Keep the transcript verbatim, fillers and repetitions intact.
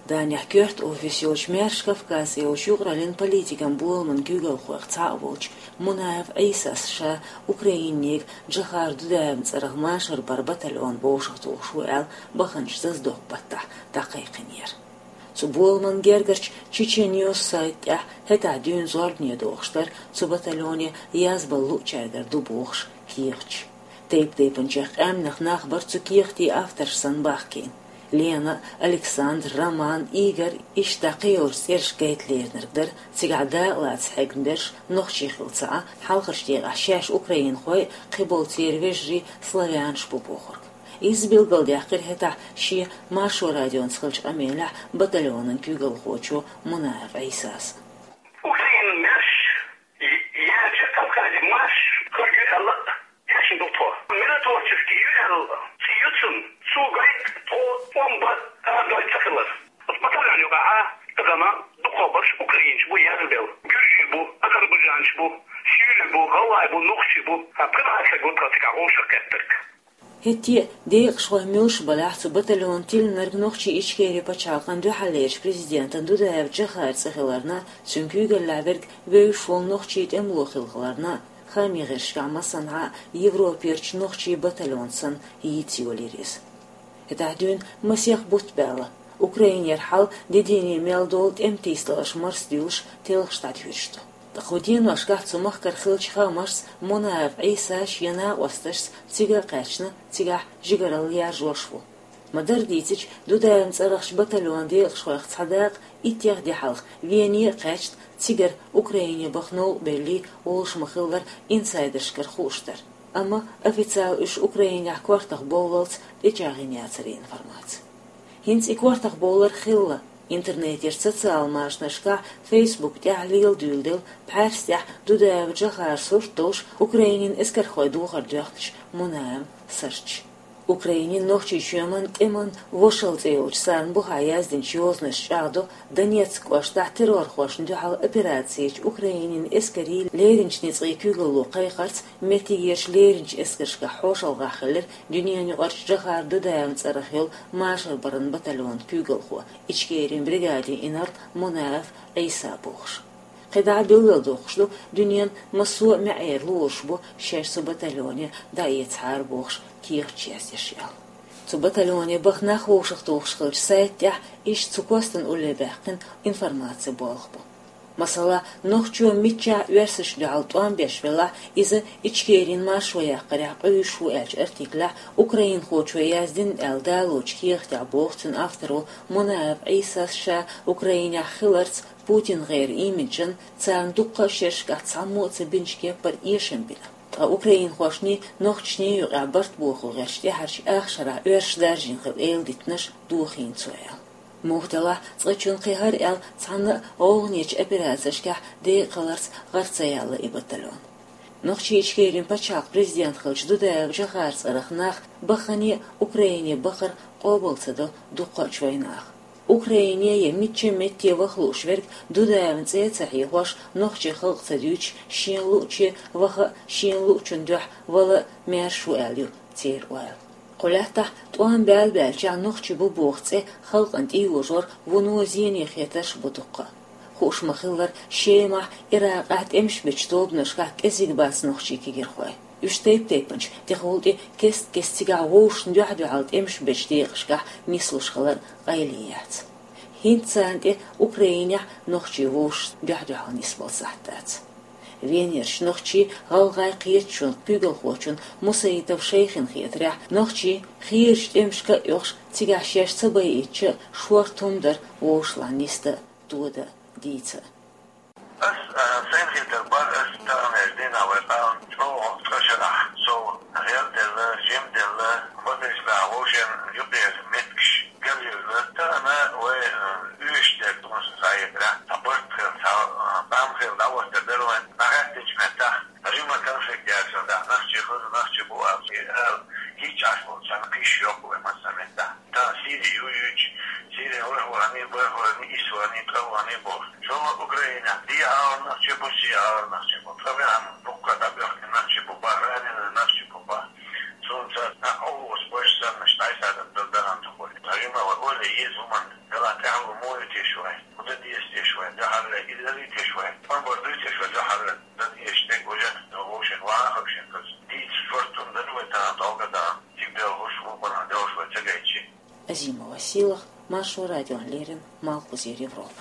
Данехь коьрта офис йолчу «Маьрша Кавказ» йолчу юкъараллин политикан боламан куьйгалхойх цхьаъ волчу Мунаев Ӏийсас ша Украинега Джохар Дудаевн цӀарах машар бар батальон вовшахтухуш ву аьлла баханчу зазадоккху баттахь дӀакхайкхинера. Цу боламан гергарчу «Чечен-Ньюс» сайта тӀехь хӀетахь дуьйна зорбане дохуш дара цу батальоне язбала луучаьргара ду бохуш кехаташ. Тайп-тайпанчех къаьмнех нах бара цу кехатийн авторш санна бахкийна. Лена, Александр, Роман, Игорь, иштта кхин йолчу цӀераш гайта леринарг дара, цигахь дакъалаца хьегна берш нохчий хилла ца Ӏа, хьалхарчу декъехь шаьш украинхой, кхиболу церан вежарий славянаш бу бохург. Иза билгалдаьккхира хӀетахь шен Маршо радионца хиллачу къамелехь батальонан куьйгалхочо Мунаев Ӏийсас. Украинан маьрша, я-, яьржа Кавказе марш хир ю аьлла, эшна ду тхо. Миротворческий ю аьлла, цӀе ю цуьнан, цо гайта тхо тӀом бан арадойла ца хилар. Оцу батальон юкъахь а, тахана дукхахберш украинцаш бу язбелла, гуьржий бу, азербайджанцаш бу, сийлий бу, гӀалгӀай бу, нохчий бу, а пхи-кхоъ стаг ву тхан цигахь вовшах кхеттарг. ХӀетте а, декъашхой муьлш балахь, цу батальон тиллинарг нохчийн Ичкерин пачхьалкхан дуьххьарлерчу президентан Дудаев Джохаран цӀе хиларна, цуьнан куьйгаллехь верг вевзаш волу нохчийн тӀемало хилла хиларна, хаамийн гӀирсашкахь массанхьа а Европерчу нохчийн батальон санна йийца йолийра иза. ХӀетахь дуьйна масех бутт баьлла. Украинера хьал де-дийне мел долу тӀеман тийсадаларш марсадуьйлуш, телхаш дӀатуьйсуш ду. Ткъа кху деношкахь цу махкара хиллачу хаамашца Мунаев Ӏийсас шен накъосташца цига а кхаьчна, цигахь жигаралла яржош ву. Ма-дарра дийцича, Дудаевн цӀарахчу батальонан декъашхойх цхьа дакъа иттех де хьалха Вене а кхаьчна, цигара Украине баха новкъа беллий, олуш ма-хиллара, инсайдершкара хууш дара. Амма официалан уьш Украинехь кортах бовллалц тӀечӀагӀйина яцара и информаци. ХӀинца и кортах бовлар хилла. Интернетера социал машанашкахь, Facebook тӀехь лела дуьйладелла пхьаьрса тӀехь Дудаев Джохаран сурт долуш, Украинин эскархой духар доьхначу Мунаевн сурташ. Украинин Нохчийчоьнан тӀеман вошалла цӀе йолчу царна бухахь яздинчу йозанашца чӀагӀдо Донецк кӀоштахь террорхошна дуьхьал операци ечу Украинин эскарийн леринчу ницкъийн куьйгалло кхайкхарца, меттигерчу леринчу эскаршкахь хьошалгӀахь хиллера дуьненаюкъарчу Джохар Дудаевн цӀарах йолу машар баран батальонан куьйгалхо, Ичкерин бригадин инарла Мунаев Ӏийса бохуш. КхидӀа а билгалдоккхуш ду, дуьненан массо а маьӀӀера лоруш бу шаьш цу батальоне дӀаэцахьара бохуш кехаташ яздеш аьлла. Цу батальоне баха нах вовшахтухуш хиллачу сайта тӀехь иштта цу костан улле баьккхина информацин болх бу. Масала, нохчо миччахь оьрсашна дуьхьал тӀом беш велахь, иза Ичкерин маршо яккхарехь къуьйсуш ву аьллачу артиклехь украинхочо яздина аьлла далочу кехатехь боху цуьнан авторо Мунаев Ӏийсас ша Украинехь хиларца Путин гӀеран имиджан, царна дуккха а шерашкахь цхьаммо а ца бинчу кеппара эшам бина. Ткъа украинхошний, нохчашний юкъахь барт бохула гӀерташ тӀаьхьарчу ах шарахь оьрсаша даржийна хилла эладитанаш дохийна цо аьлла. Муха делахь, цкъачунна кхин хӀара аьлла цхьанна а гӀовгӀанечу операцешкахь декъахиларца гӀар ца яьлла и батальон. Нохчийчоьнан пачхьалкхан президент хиллачу Дудаев Джохаран цӀарах нах баххане а Украине бахар къобал ца до дуккха а чоьнан наха. Украине я мичча а метте ваха лууш верг Дудаевн цӀе а ца хьехош, нохчийн халкъ ца дуьйцуш, шена луъуче ваха а, шена луъучун дуьхьа вала а маьрша ву аьлла ю церан ойла. Кху лаьттахь тӀом баьлла-баьллачохь нохчи бу боху цӀе халкъана тӀейожор вуно зене хетарш а бу дуккха а. Хууш ма-хиллара, Шемахь, Иракъехь тӀемаш бечу тобанашкахь кӀезиг бац нохчийн кегийрхой. Уьш тайп-тайпанчу, тӀехула тӀе кест-кеста цигахь вовшашна дуьхь-дуьхьал тӀемаш бечу декъашкахь нислуш хилар къайле яц. ХӀинца царна тӀе Украинехь нохчий вовшашна дуьхь-дуьхьал нисбала сахьт дац. Венерчу нохчийн, гӀалгӀайн кхеташонан куьйгалхочун Мусаитов Шайхин хетарехь, нохчийн хезачу тӀемашка а оьхуш, цигахь шаьш ца байийтича а, шортта хӀума дара вовшашлахь нисдан а, тодан а, дийца а. Ас, а, сайн хетар бан, ас таханлерчу дийнахь вай къам чӀогӀа цкъа шарахь сов гӀелделла, жимделла, бакъдерг а вовшийн юкъера меттигаш галъелла. Тахана вай, а, уьш дерг тхуна схьаэцарехь, цхьа барт хилла, цхьа, а, къам хилла дӀахӀоттар дара вайн. ДӀахӀоьттинчу меттехь, Римма конфликт яцара, нохчий хилла, нохчий бу аьлла, хӀинца Ӏаш болчарна кхиш йоккху вай массо а меттехь. Тахана Сири ю юьйцу, Сири вархӀ вахана, бархӀ вахана, исс вахана, ткъа вахана боху. ШолгӀа Украина, дӀа а нохчий бу, сий а нохчий бу. Ткъа бехк бу, дуккха дӀабоьхкина нохчий бу, бахарийна нохчий бу, бах. Цунца нах Ӏовлуш беш санна, дӀасадаьд дар дахана тхо. Римма вай ойла еза хӀуманна, гала тӀаьхьа Вай, ма бардуйте шо жахьалла, дан эштег уже, вовшен вахаб шен каз. Дийц шортун дан вай та долга да, тигдел хуш вукъана делш вай цагайчи. Азима Василах, Маршо радион лерин, Малхбузера Европа.